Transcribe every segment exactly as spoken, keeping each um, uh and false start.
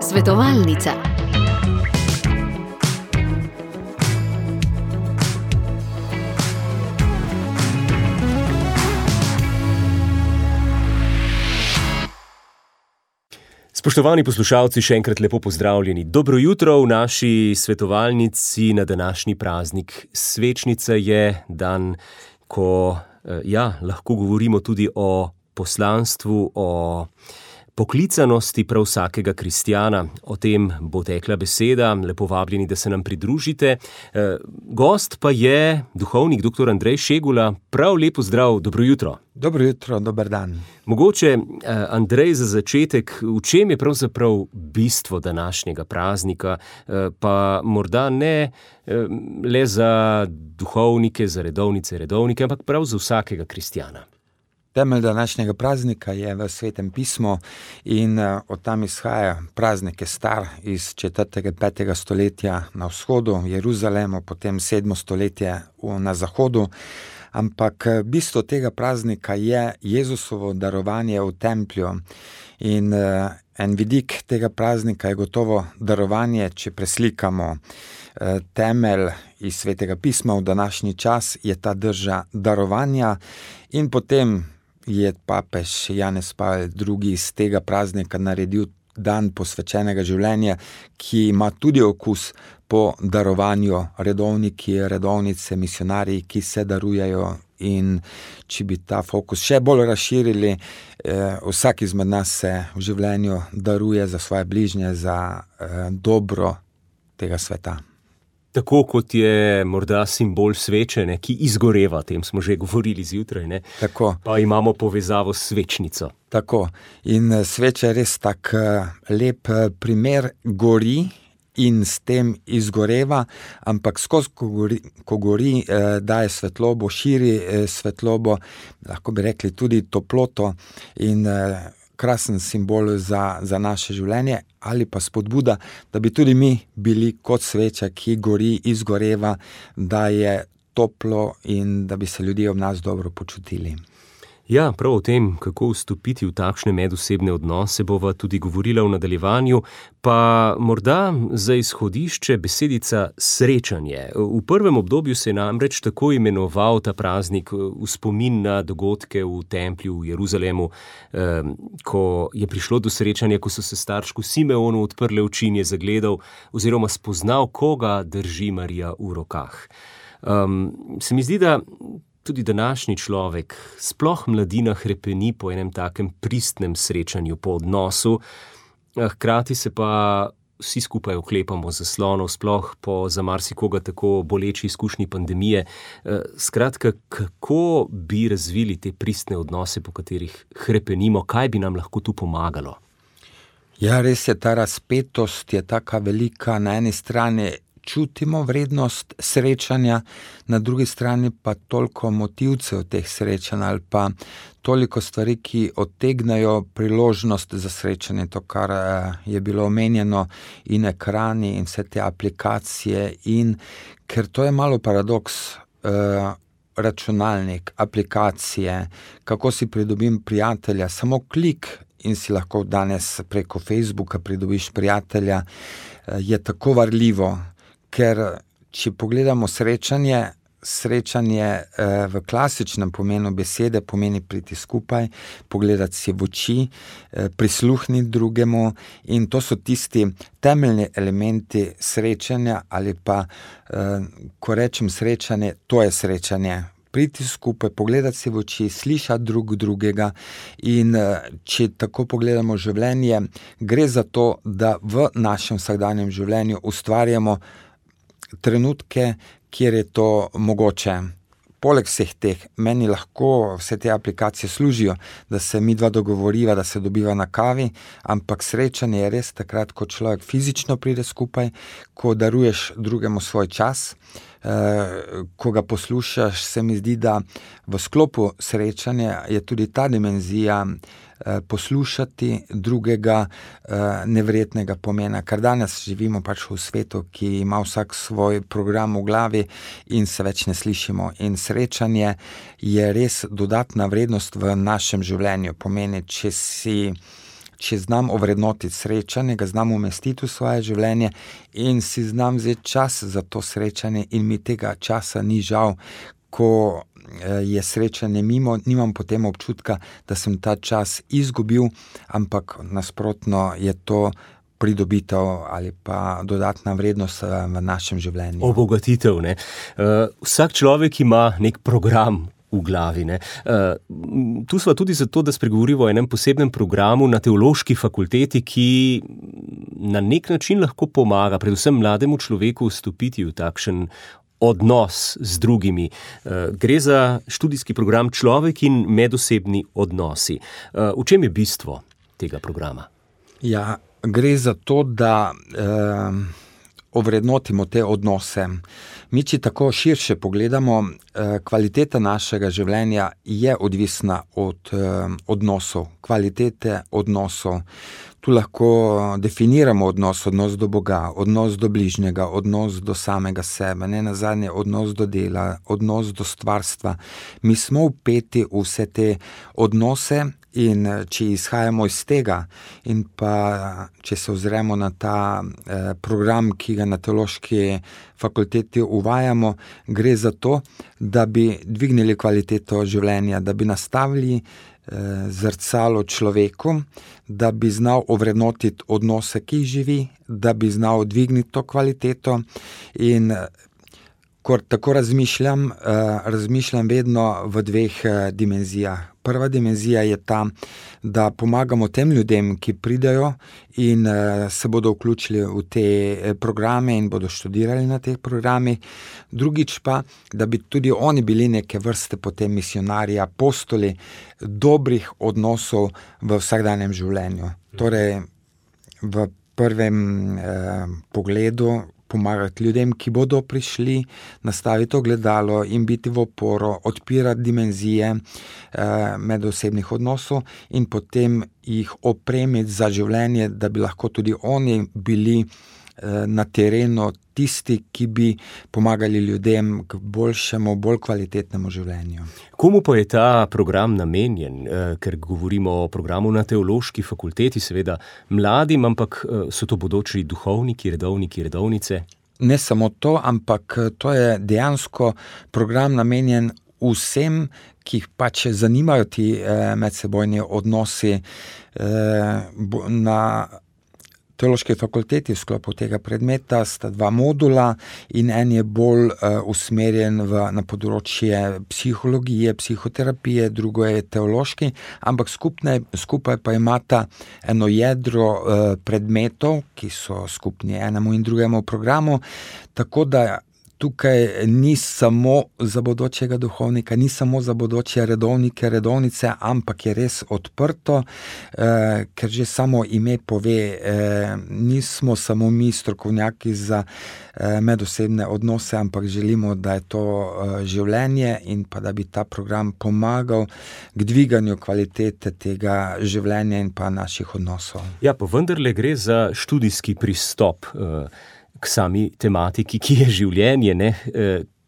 Svetovalnica. Spoštovani poslušalci, še enkrat lepo pozdravljeni. Dobro jutro v naši svetovalnici na današnji praznik. Svečnica je dan, ko ja, lahko govorimo tudi o poslanstvu, o poklicanosti prav vsakega kristjana. O tem bo tekla beseda, lepo vabljeni, da se nam pridružite. Gost pa je duhovnik doktor Andrej Šegula. Prav lepo zdrav, dobro jutro. Dobro jutro, dober dan. Mogoče, Andrej, za začetek, v čem je pravzaprav bistvo današnjega praznika, pa morda ne le za duhovnike, za redovnice, redovnike, ampak prav za vsakega kristjana? Temelj današnjega praznika je v Svetem pismu in od tam izhaja. Praznik je star iz četrtega, petega stoletja na vzhodu, v Jeruzalemu, potem sedmo stoletje na zahodu. Ampak bistvo tega praznika je Jezusovo darovanje v templju. In en vidik tega praznika je gotovo darovanje, če preslikamo temelj iz Svetega pisma v današnji čas, je ta drža darovanja. In potem je papež Janez Pavel drugi iz tega praznika naredil dan posvečenega življenja, ki ima tudi okus po darovanju, redovniki, redovnice, misionarji, ki se darujejo. In če bi ta fokus še bolj razširili, eh, vsak izmed nas se v življenju daruje za svoje bližnje, za eh, dobro tega sveta. Tako kot je morda simbol sveče, ne, ki izgoreva, o tem smo že govorili zjutraj, ne? Tako. Pa imamo povezavo s svečnico. Tako. In sveča je res tak lep primer, gori in s tem izgoreva, ampak skozi, ko gori, ko gori eh, daje svetlobo, širi eh, svetlobo, lahko bi rekli tudi toploto in eh, krasen simbol za, za naše življenje ali pa spodbuda, da bi tudi mi bili kot sveča, ki gori, izgoreva, da je toplo in da bi se ljudje ob nas dobro počutili. Ja, prav o tem, kako vstopiti v takšne medosebne odnose, bova tudi govorila v nadaljevanju, pa morda za izhodišče besedica srečanje. V prvem obdobju se je namreč tako imenoval ta praznik v spomin na dogodke v templju v Jeruzalemu, ko je prišlo do srečanja, ko so se staršku Simeonu odprle oči in je zagledal oziroma spoznal, koga drži Marija v rokah. Um, se mi zdi, da tudi današnji človek, sploh mladina, hrepeni po enem takem pristnem srečanju, po odnosu, hkrati se pa vsi skupaj oklepamo zaslonov, sploh po za marsikoga tako boleči izkušnji pandemije. Skratka, kako bi razvili te pristne odnose, po katerih hrepenimo, kaj bi nam lahko tu pomagalo? Ja, res je, ta razpetost je taka velika, na eni strani čutimo vrednost srečanja, na drugi strani pa toliko motivcev teh srečanj ali pa toliko stvari, ki odtegnajo priložnost za srečanje, to, kar je bilo omenjeno, in ekrani in vse te aplikacije, in ker to je malo paradoks, eh, računalnik, aplikacije, kako si pridobim prijatelja, samo klik in si lahko danes preko Facebooka pridobiš prijatelja, eh, je tako varljivo. Ker če pogledamo srečanje, srečanje eh, v klasičnem pomenu besede pomeni priti skupaj, pogledati si v oči, eh, prisluhniti drugemu, in to so tisti temeljni elementi srečanja ali pa, eh, ko rečem srečanje, to je srečanje. Priti skupaj, pogledati si v oči, slišati drug drugega, in če tako pogledamo življenje, gre za to, da v našem vsakdanjem življenju ustvarjamo trenutke, kjer je to mogoče. Poleg vseh teh, meni lahko vse te aplikacije služijo, da se midva dogovoriva, da se dobiva na kavi, ampak srečanje je res takrat, ko človek fizično pride skupaj, ko daruješ drugemu svoj čas, eh, ko ga poslušaš. Se mi zdi, da v sklopu srečanja je tudi ta dimenzija poslušati drugega neverjetnega pomena, ker danes živimo pač v svetu, ki ima vsak svoj program v glavi in se več ne slišimo. In srečanje je res dodatna vrednost v našem življenju. Pomeni, če si če znam ovrednotiti srečanje, ga znam umestiti v svoje življenje in si znam vzeti čas za to srečanje in mi tega časa ni žal, ko je srečanje mimo, nimam potem občutka, da sem ta čas izgubil, ampak nasprotno je to pridobitev ali pa dodatna vrednost v našem življenju. Obogatitev, ne. Uh, vsak človek ima nek program v glavi, ne. Uh, tu sva tudi zato, da spregovorimo o enem posebnem programu na teološki fakulteti, ki na nek način lahko pomaga predvsem mlademu človeku vstopiti v takšen odnos z drugimi. Uh, gre za študijski program Človek in medosebni odnosi. Uh, v čem je bistvo tega programa? Ja, gre za to, da eh, ovrednotimo te odnose. Mi, če tako širše pogledamo, eh, kvaliteta našega življenja je odvisna od eh, odnosov, kvalitete odnosov. Tu lahko definiramo odnos, odnos do Boga, odnos do bližnjega, odnos do samega sebe, ne nazadnje odnos do dela, odnos do stvarstva. Mi smo vpeti v vse te odnose in če izhajamo iz tega in pa če se ozremo na ta eh, program, ki ga na teološki fakulteti uvajamo, gre za to, da bi dvignili kvaliteto življenja, da bi nastavili zrcalo človeku, da bi znal ovrednotiti odnose, ki jih živi, da bi znal dvigniti to kvaliteto in ko tako razmišljam, razmišljam vedno v dveh dimenzijah. Prva dimenzija je ta, da pomagamo tem ljudem, ki pridejo in se bodo vključili v te programe in bodo študirali na teh programih. Drugič pa, da bi tudi oni bili neke vrste potem misionarji, apostoli dobrih odnosov v vsakdanjem življenju. Torej, v prvem eh, pogledu pomagati ljudem, ki bodo prišli, nastaviti ogledalo in biti v oporo, odpirati dimenzije eh, medosebnih odnosov in potem jih opremiti za življenje, da bi lahko tudi oni bili eh, na terenu tisti, ki bi pomagali ljudem k boljšemu, bolj kvalitetnemu življenju. Komu pa je ta program namenjen? Eh, ker govorimo o programu na teološki fakulteti, seveda mladim, ampak eh, so to bodoči duhovniki, redovniki, redovnice? Ne samo to, ampak to je dejansko program namenjen vsem, ki jih pač zanimajo ti eh, medsebojni odnosi eh, na teološki fakulteti. V sklopu tega predmeta sta dva modula in en je bolj uh, usmerjen v, na področje psihologije, psihoterapije, drugo je teološki, ampak skupne, skupaj pa imata eno jedro uh, predmetov, ki so skupni enemu in drugemu programu, tako da tukaj ni samo za bodočega duhovnika, ni samo za bodoče redovnike, redovnice, ampak je res odprto, eh, ker že samo ime pove, eh, nismo samo mi strokovnjaki za eh, medosebne odnose, ampak želimo, da je to eh, življenje in pa da bi ta program pomagal k dviganju kvalitete tega življenja in pa naših odnosov. Ja, pa vendarle gre za študijski pristop eh, k sami tematiki, ki je življenje, ne?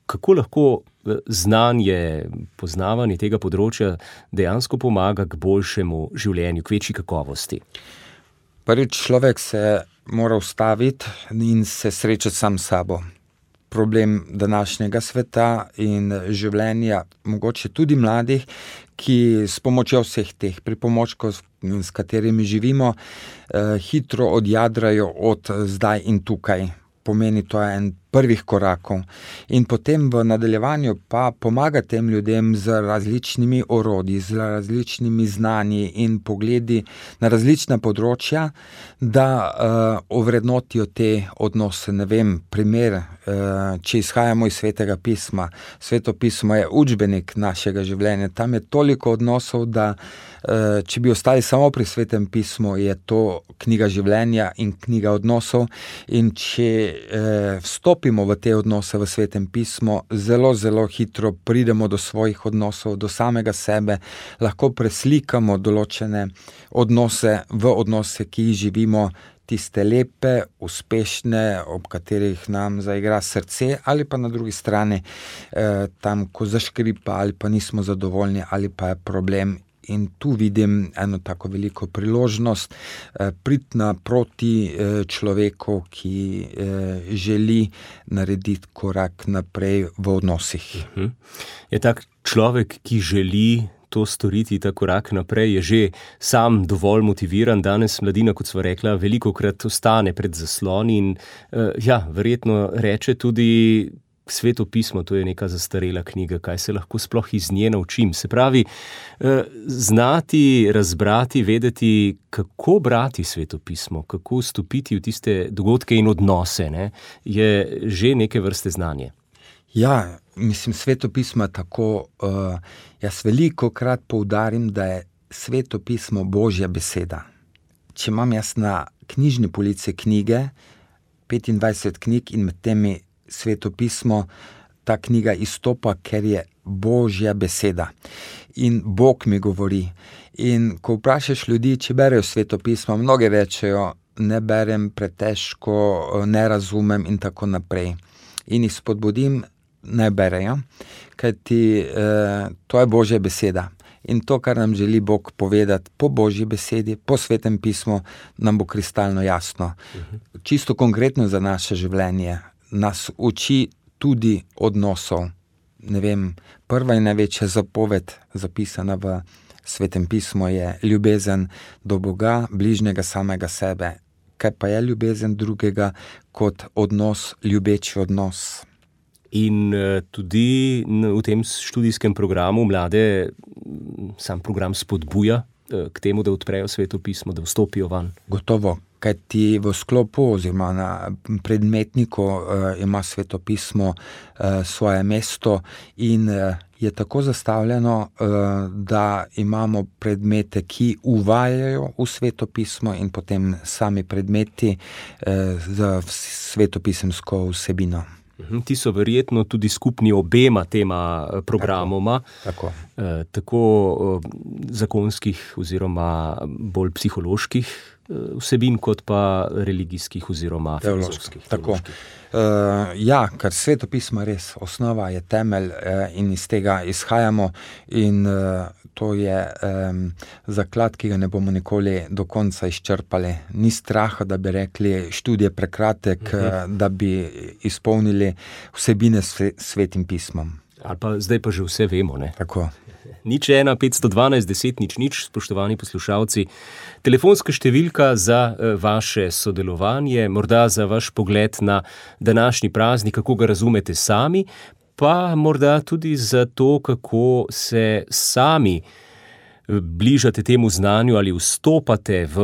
Kako lahko znanje, poznavanje tega področja dejansko pomaga k boljšemu življenju, k večji kakovosti? Prvič, človek se mora ustaviti in se srečati sam s sabo. Problem današnjega sveta in življenja, mogoče tudi mladih, ki s pomočjo vseh teh pripomočkov, s katerimi živimo, eh, hitro odjadrajo od zdaj in tukaj. Pomeni to en prvih korakov. In potem v nadaljevanju pa pomaga tem ljudem z različnimi orodji, z različnimi znanji in pogledi na različna področja, da uh, ovrednotijo te odnose. Ne vem, primer, uh, če izhajamo iz Svetega pisma. Sveto pismo je učbenik našega življenja. Tam je toliko odnosov, da uh, če bi ostali samo pri Svetem pismu, je to knjiga življenja in knjiga odnosov. In če uh, vstopimo v te odnose v Svetem pismu, zelo, zelo hitro pridemo do svojih odnosov, do samega sebe, lahko preslikamo določene odnose v odnose, ki jih živimo, tiste lepe, uspešne, ob katerih nam zaigra srce, ali pa na drugi strani eh, tam, ko zaškripa, ali pa nismo zadovoljni, ali pa je problem in tu vidim eno tako veliko priložnost, priti naproti človeku, ki želi narediti korak naprej v odnosih. Uh-huh. Je tak človek, ki želi to storiti, ta korak naprej, je že sam dovolj motiviran. Danes mladina, kot sva rekla, velikokrat ostane pred zasloni in ja, verjetno reče tudi: Sveto pismo, to je neka zastarela knjiga, kaj se lahko sploh iz nje naučim. Se pravi, znati, razbrati, vedeti, kako brati Sveto pismo, kako vstopiti v tiste dogodke in odnose, ne, je že neke vrste znanje. Ja, mislim, Sveto pismo je tako, uh, jaz velikokrat poudarim, da je Sveto pismo Božja beseda. Če imam jaz na knjižni polici knjige, petindvajset knjig in med temi Sveto pismo, ta knjiga izstopa, ker je Božja beseda. In Bog mi govori. In ko vprašaš ljudi, če berejo Sveto pismo, mnogi rečejo: ne berem, pretežko, ne razumem in tako naprej. In jih spodbudim, ne berejo, kajti eh, to je Božja beseda. In to, kar nam želi Bog povedati po Božji besedi, po Svetem pismu, nam bo kristalno jasno. Uh-huh. Čisto konkretno za naše življenje nas uči tudi odnosov. Ne vem, prva in največja zapoved, zapisana v Svetem pismu, je ljubezen do Boga, bližnjega samega sebe. Kaj pa je ljubezen drugega kot odnos, ljubeči odnos? In tudi v tem študijskem programu mlade sam program spodbuja k temu, da odprejo Sveto pismo, da vstopijo van. Gotovo, kajti v sklopu oziroma na predmetniku uh, ima Sveto pismo uh, svoje mesto in uh, je tako zastavljeno, uh, da imamo predmete, ki uvajajo v Sveto pismo in potem sami predmeti uh, z svetopisemsko vsebino. Ti so verjetno tudi skupni obema tema programoma, tako, tako. Eh, tako eh, zakonskih oziroma bolj psiholoških eh, vsebin, kot pa religijskih oziroma filozofskih. Tako. Uh, ja, ker Sveto pismo res osnova, je temelj uh, in iz tega izhajamo in uh, to je um, zaklad, ki ga ne bomo nikoli do konca izčrpali. Ni straha, da bi rekli študij je prekratek, uh-huh. uh, da bi izpolnili vsebine s Svetim pismom. Ali pa zdaj pa že vse vemo, ne? Tako. Nič ena, petsto dvanajst, deset, nič, nič, spoštovani poslušalci. Telefonska številka za vaše sodelovanje, morda za vaš pogled na današnji praznik, kako ga razumete sami, pa morda tudi za to, kako se sami bližate temu znanju ali vstopate v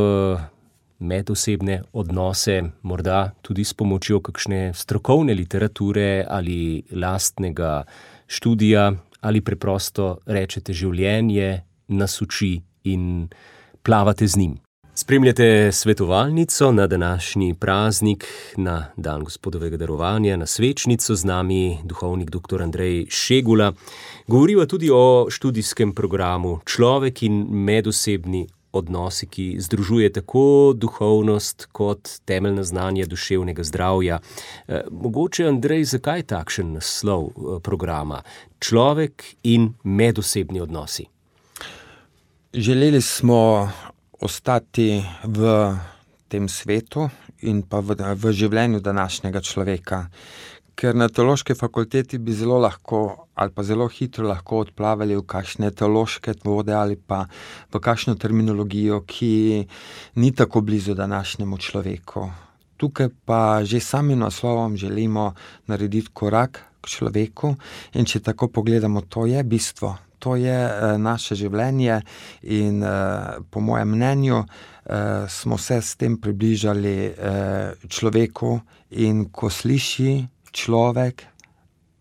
medosebne odnose, morda tudi s pomočjo kakšne strokovne literature ali lastnega študija, ali preprosto rečete, življenje nas uči in plavate z njim. Spremljate svetovalnico na današnji praznik, na dan Gospodovega darovanja, na svečnico, z nami duhovnik doktor Andrej Šegula. Govoriva tudi o študijskem programu Človek in medosebni odnosi, ki združuje tako duhovnost kot temeljna znanja duševnega zdravja. E, mogoče, Andrej, zakaj takšen naslov programa? Človek in medosebni odnosi. Želeli smo ostati v tem svetu in pa v, v življenju današnjega človeka, ker na teološki fakulteti bi zelo lahko ali pa zelo hitro lahko odplavali v kakšne teološke vode ali pa v kakšno terminologijo, ki ni tako blizu današnjemu človeku. Tukaj pa že samim naslovom želimo narediti korak k človeku in če tako pogledamo, to je bistvo, to je uh, naše življenje in uh, po mojem mnenju uh, smo se s tem približali uh, človeku in ko sliši človek,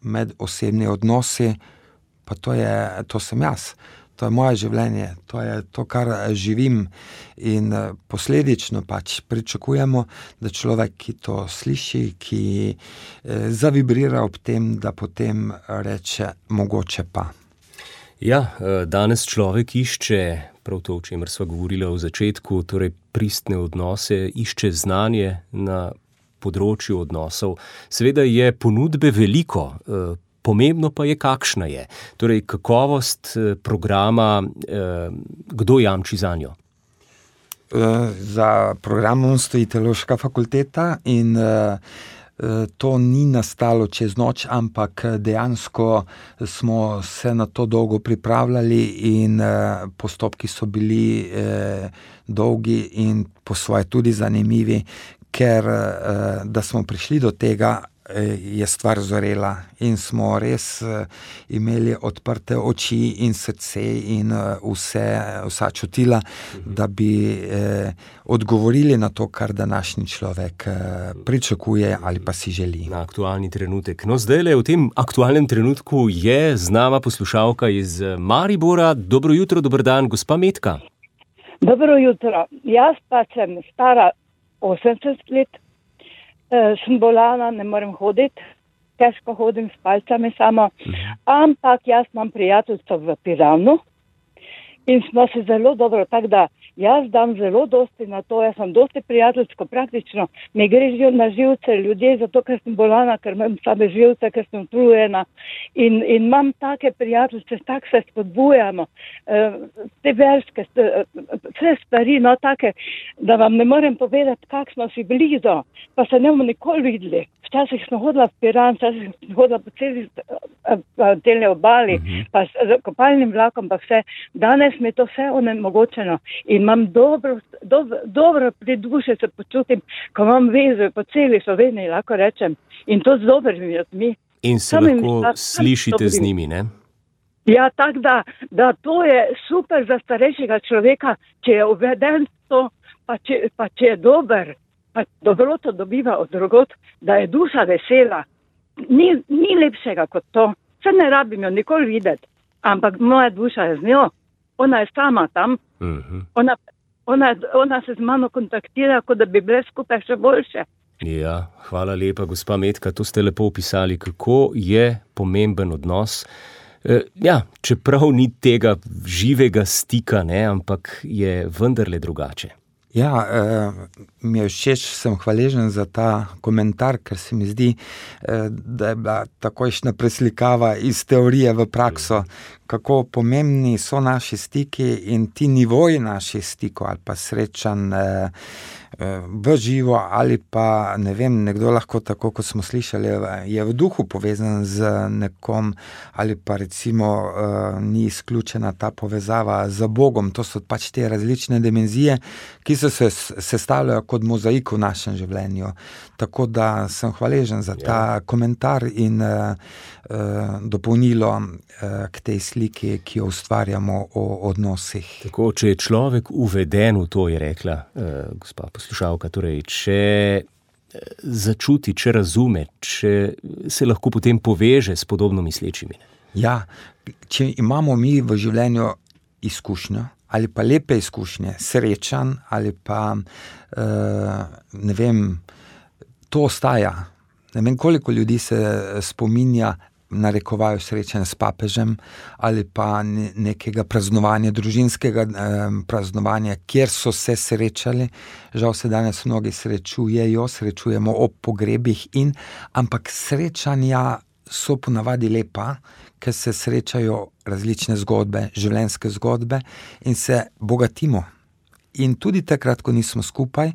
med osebni odnosi, pa to je, to sem jaz, to je moje življenje, to je to, kar živim in posledično pač pričakujemo, da človek, ki to sliši, ki eh, zavibrira ob tem, da potem reče mogoče pa. Ja, danes človek išče prav to, o čemer sva govorila v začetku, torej pristne odnose, išče znanje na področju odnosov. Seveda je ponudbe veliko, pomembno pa je, kakšna je. Torej, kakovost programa, kdo jamči za njo? Za programom stoji Teološka fakulteta in to ni nastalo čez noč, ampak dejansko smo se na to dolgo pripravljali in postopki so bili dolgi in po svoje tudi zanimivi, ker da smo prišli do tega, je stvar zorela in smo res imeli odprte oči in srce in vse, vsa čutila, da bi eh, odgovorili na to, kar današnji človek eh, pričakuje ali pa si želi. Na aktualni trenutek. No, zdajle v tem aktualnem trenutku je z nama poslušalka iz Maribora. Dobro jutro, dober dan, gospa Metka. Dobro jutro. Jaz pa sem stara osemdeset let. Sem bolana, ne morem hoditi, težko hodim s palcami samo, ampak jaz imam prijateljstvo v Piranu in smo se zelo dobro, tako da jaz dam zelo dosti na to, jaz sem dosti prijateljsko, praktično mi gre na živce ljudje, zato ker sem bolana, ker imam slabe živce, ker sem utrujena in, in imam take prijateljstvo, tako se spodbujamo, te verske, vse stvari, no take, da vam ne morem povedati, kak smo si blizu, pa se ne bomo nikoli videli. Včasih smo hodila v Piran, včasih smo hodila po celi delne obali, uh-huh. pa s kopalnim vlakom, pa vse. Danes mi je to vse onemogočeno in imam dobro, dobro, dobro pri duši se počutim, ko imam vezo po celi Sloveniji, lahko rečem, in to z dobrimi ljudmi. In se Sam lahko mi, slišite z njimi, ne? Ja, tako da, da to je super za starejšega človeka, če je uveden to, pa če, pa če je dober, pa dobroto dobiva od drugot, da je duša vesela. Ni, ni lepšega kot to. Se ne rabim jo nikoli videti, ampak moja duša je z njo. Ona je sama tam. Uh-huh. Ona, ona, ona se z mano kontaktira, kot da bi bile skupaj še boljše. Ja, hvala lepa, gospa Metka, to ste lepo opisali, kako je pomemben odnos. E, ja, čeprav ni tega živega stika, ne, ampak je vendarle drugače. Ja, eh, mi je všeč, sem hvaležen za ta komentar, ker se mi zdi, eh, da je bila takojšnja preslikava iz teorije v prakso, kako pomembni so naši stiki in ti nivoji naših stikov ali pa srečanj eh, v živo ali pa, ne vem, nekdo lahko tako, kot smo slišali, je v duhu povezan z nekom ali pa recimo eh, ni izključena ta povezava z Bogom. To so pač te različne dimenzije, ki so se sestavljajo kot mozaik v našem življenju. Tako da sem hvaležen za ta ja. komentar in uh, uh, dopolnilo uh, k tej sliki, ki jo ustvarjamo o odnosih. Tako, če je človek uveden v to, je rekla uh, gospa poslušalka, torej, če začuti, če razume, če se lahko potem poveže s podobno mislečimi. Ja, če imamo mi v življenju izkušnjo, ali pa lepe izkušnje, srečan, ali pa, uh, ne vem, to ostaja. Ne vem, koliko ljudi se spominja, narekovajo srečanje s papežem, ali pa nekega praznovanja, družinskega eh, praznovanja, kjer so se srečali. Žal se danes mnogi srečujejo, srečujemo ob pogrebih, in, ampak srečanja so ponavadi lepa, ker se srečajo različne zgodbe, življenjske zgodbe in se bogatimo. In tudi takrat, ko nismo skupaj,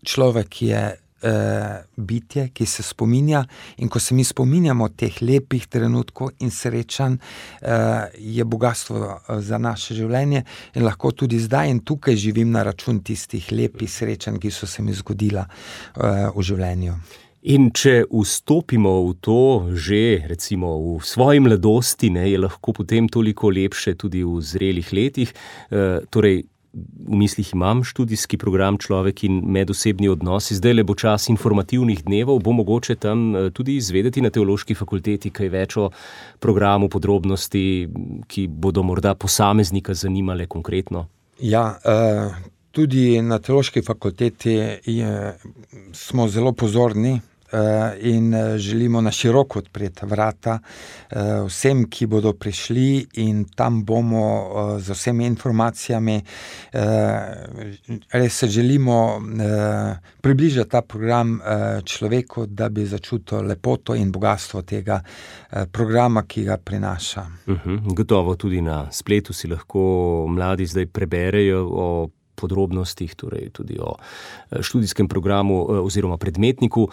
človek je eh, bitje, ki se spominja, in ko se mi spominjamo teh lepih trenutkov in srečanj, eh, je bogatstvo za naše življenje in lahko tudi zdaj in tukaj živim na račun tistih lepih srečanj, ki so se mi zgodila eh, v življenju. In če vstopimo v to že, recimo, v svoji mladosti, ne, je lahko potem toliko lepše tudi v zrelih letih. E, torej, v mislih imam študijski program Človek in medosebni odnosi. Zdaj le bo čas informativnih dnevov, bo mogoče tam tudi izvedeti na Teološki fakulteti kaj več o programu, podrobnosti, ki bodo morda posameznika zanimale konkretno. Ja, uh... Tudi na Teološki fakulteti je, smo zelo pozorni in želimo na široko odpreti vrata vsem, ki bodo prišli, in tam bomo z vsemi informacijami. Res se želimo približati ta program človeku, da bi začutil lepoto in bogatstvo tega programa, ki ga prinaša. Uhum, gotovo tudi na spletu si lahko mladi zdaj preberejo o podrobnostih, torej tudi o študijskem programu oziroma predmetniku.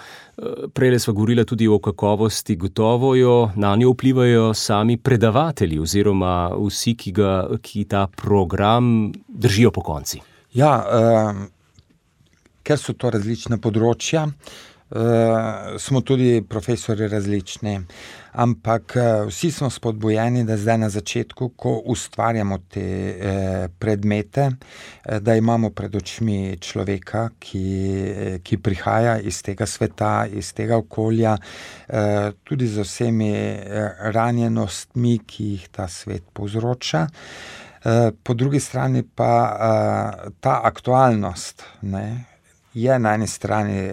Prejle sva govorila tudi o kakovosti, gotovo jo na njo vplivajo sami predavatelji oziroma vsi, ki, ga, ki ta program držijo po konci. Ja, eh, ker so to različna področja, eh, smo tudi profesori različni. Ampak vsi smo spodbujeni, da zdaj na začetku, ko ustvarjamo te eh, predmete, eh, da imamo pred očmi človeka, ki, ki prihaja iz tega sveta, iz tega okolja, eh, tudi z vsemi eh, ranjenostmi, ki jih ta svet povzroča. Eh, po drugi strani pa eh, ta aktualnost, ne, je na eni strani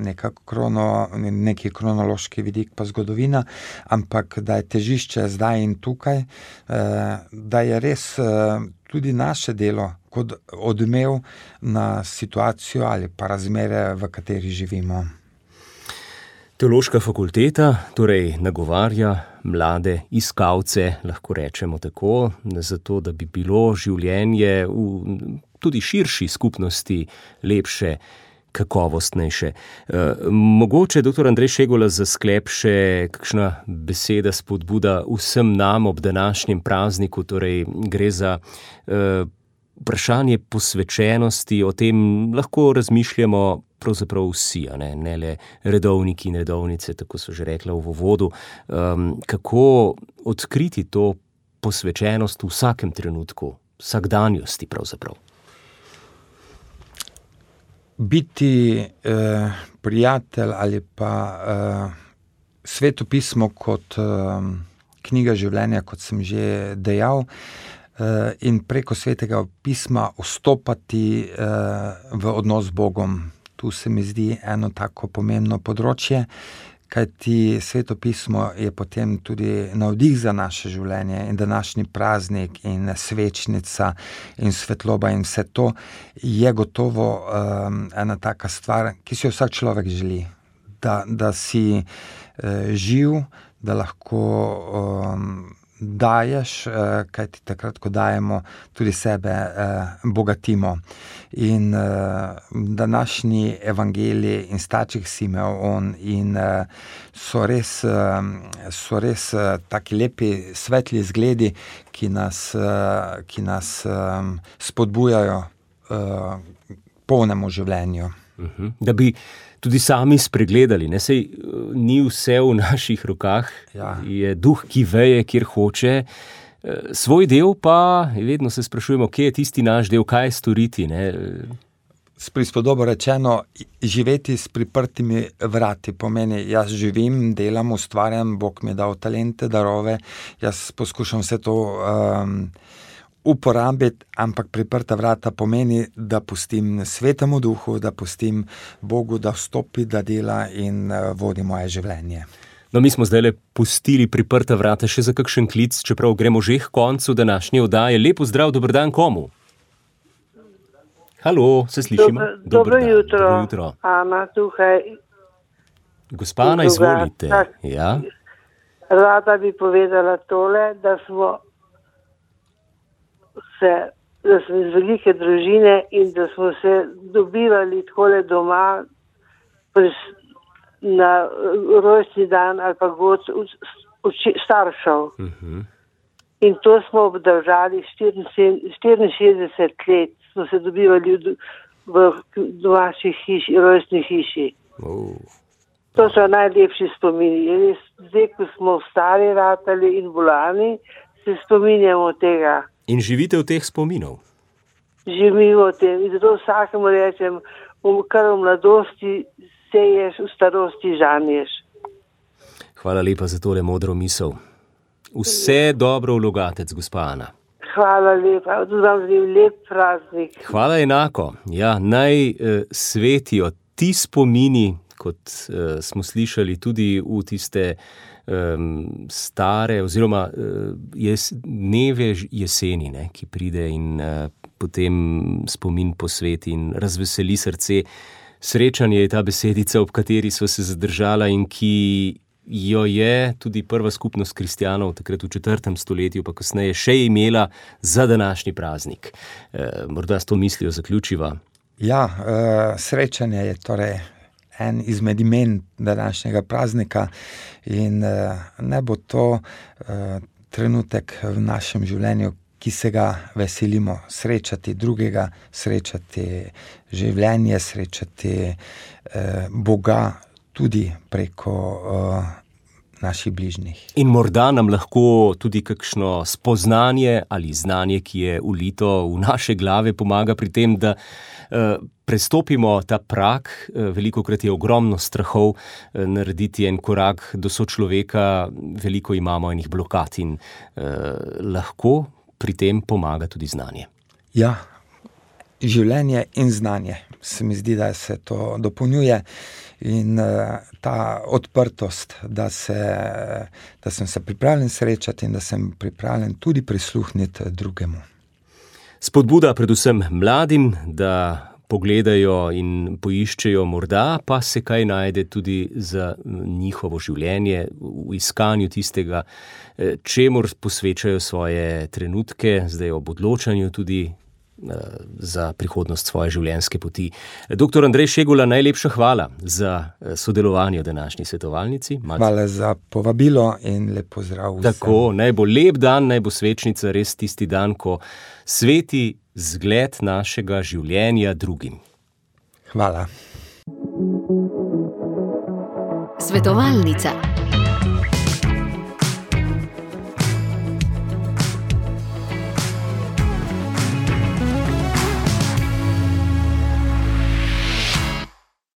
nekako krono, neki kronološki vidik pa zgodovina, ampak da je težišče zdaj in tukaj, da je res tudi naše delo kot odmev na situacijo ali pa razmere, v kateri živimo. Teološka fakulteta torej nagovarja mlade iskalce, lahko rečemo tako, zato da bi bilo življenje v tudi širši skupnosti lepše, kakovostnejše. E, mogoče, doktor Andrej Šegula, za sklep še kakšna beseda spodbuda vsem nam ob današnjem prazniku, torej gre za e, vprašanje posvečenosti, o tem lahko razmišljamo pravzaprav vsi, a ne, ne le redovniki in redovnice, tako so že rekla v uvodu. Um, kako odkriti to posvečenost v vsakem trenutku, vsakdanjosti pravzaprav? Biti eh, prijatelj ali pa eh, Sveto pismo kot eh, knjiga življenja, kot sem že dejal, eh, in preko Svetega pisma vstopati eh, v odnos z Bogom. Tu se mi zdi eno tako pomembno področje, kajti Sveto pismo je potem tudi navdih za naše življenje in današnji praznik in svečnica in svetloba in vse to je gotovo um, ena taka stvar, ki si jo vsak človek želi, da, da si uh, živ, da lahko um, daješ, uh, kajti takrat, ko dajemo, tudi sebe uh, bogatimo. In uh, današnji evangeliji in starček Simeon in uh, so res, uh, so res uh, taki lepi, svetli zgledi, ki nas, uh, ki nas um, spodbujajo uh, polnemu življenju. Uh-huh. Da bi tudi sami spregledali, ne, sej ni vse v naših rokah, ja. Je duh, ki veje, kjer hoče. Svoj del pa, vedno se sprašujemo, kje je tisti naš del, kaj storiti, ne? S prispodobo rečeno, živeti s priprtimi vrati pomeni, jaz živim, delam, ustvarjam, Bog mi je dal talente, darove, jaz poskušam vse to um, uporabiti, ampak priprta vrata pomeni, da pustim Svetemu duhu, da pustim Bogu, da vstopi, da dela in uh, vodi moje življenje. No, mi smo zdaj le pustili priprta vrata še za kakšen klic, čeprav gremo že k koncu današnje oddaje. Lepo zdrav, dober dan komu? Halo, se slišimo? Dobro, dobro jutro. Dobro jutro. Ana, tukaj. Gospa Ana, izvolite. Ja? Rada bi povedala tole, da smo se, da smo iz velike družine in da smo se dobivali takole doma pres, na rojstni dan ali pa god staršev. Uh-huh. In to smo obdržali štiriinšestdeset let, smo se dobivali v, v domačih hiši, rojstni hiši. Uh. To so najlepši spomini. Zdaj, ko smo stari ratali in bolani, se spominjamo tega. In živite v teh spominov? Živimo v tem. In zato vsakemu rečem, kar v mladosti seješ, v starosti žanješ. Hvala lepa za tole modro misel. Vse dobro v Logatec, gospa Ana. Hvala lepa, tudi vam želim lep praznik. Hvala enako. Ja, naj eh, svetijo ti spomini, kot uh, smo slišali tudi v tiste um, stare oziroma uh, jes, dneve jeseni, ne, ki pride in uh, potem spomin posveti in razveseli srce. Srečanje je ta besedica, ob kateri sva se zadržala in ki jo je tudi prva skupnost kristjanov takrat v četrtem stoletju, pa kasneje še imela za današnji praznik. E, morda s to mislijo zaključiva. Ja, uh, srečanje je torej en izmed imen današnjega praznika in uh, ne bo to uh, trenutek v našem življenju, ki se ga veselimo, srečati drugega, srečati življenje, srečati eh, Boga tudi preko eh, naših bližnjih. In morda nam lahko tudi kakšno spoznanje ali znanje, ki je ulito v naše glave, pomaga pri tem, da eh, prestopimo ta prag. Eh, velikokrat je ogromno strahov eh, narediti en korak do sočloveka, veliko imamo enih blokad in eh, lahko pri tem pomaga tudi znanje. Ja, življenje in znanje. Se mi zdi, da se to dopolnjuje in uh, ta odprtost, da, se, da sem se pripravljen srečati in da sem pripravljen tudi prisluhniti drugemu. Spodbuda predvsem mladim, da pogledajo in poiščejo, morda pa se kaj najde tudi za njihovo življenje v iskanju tistega, čemur posvečajo svoje trenutke, zdaj ob odločanju tudi za prihodnost svoje življenjske poti. Doktor Andrej Šegula, najlepša hvala za sodelovanje v današnji svetovalnici. Malce. Hvala za povabilo in lep pozdrav vsem. Tako, naj bo lep dan, naj bo svečnica res tisti dan, ko sveti zgled našega življenja drugim. Hvala. Svetovalnica.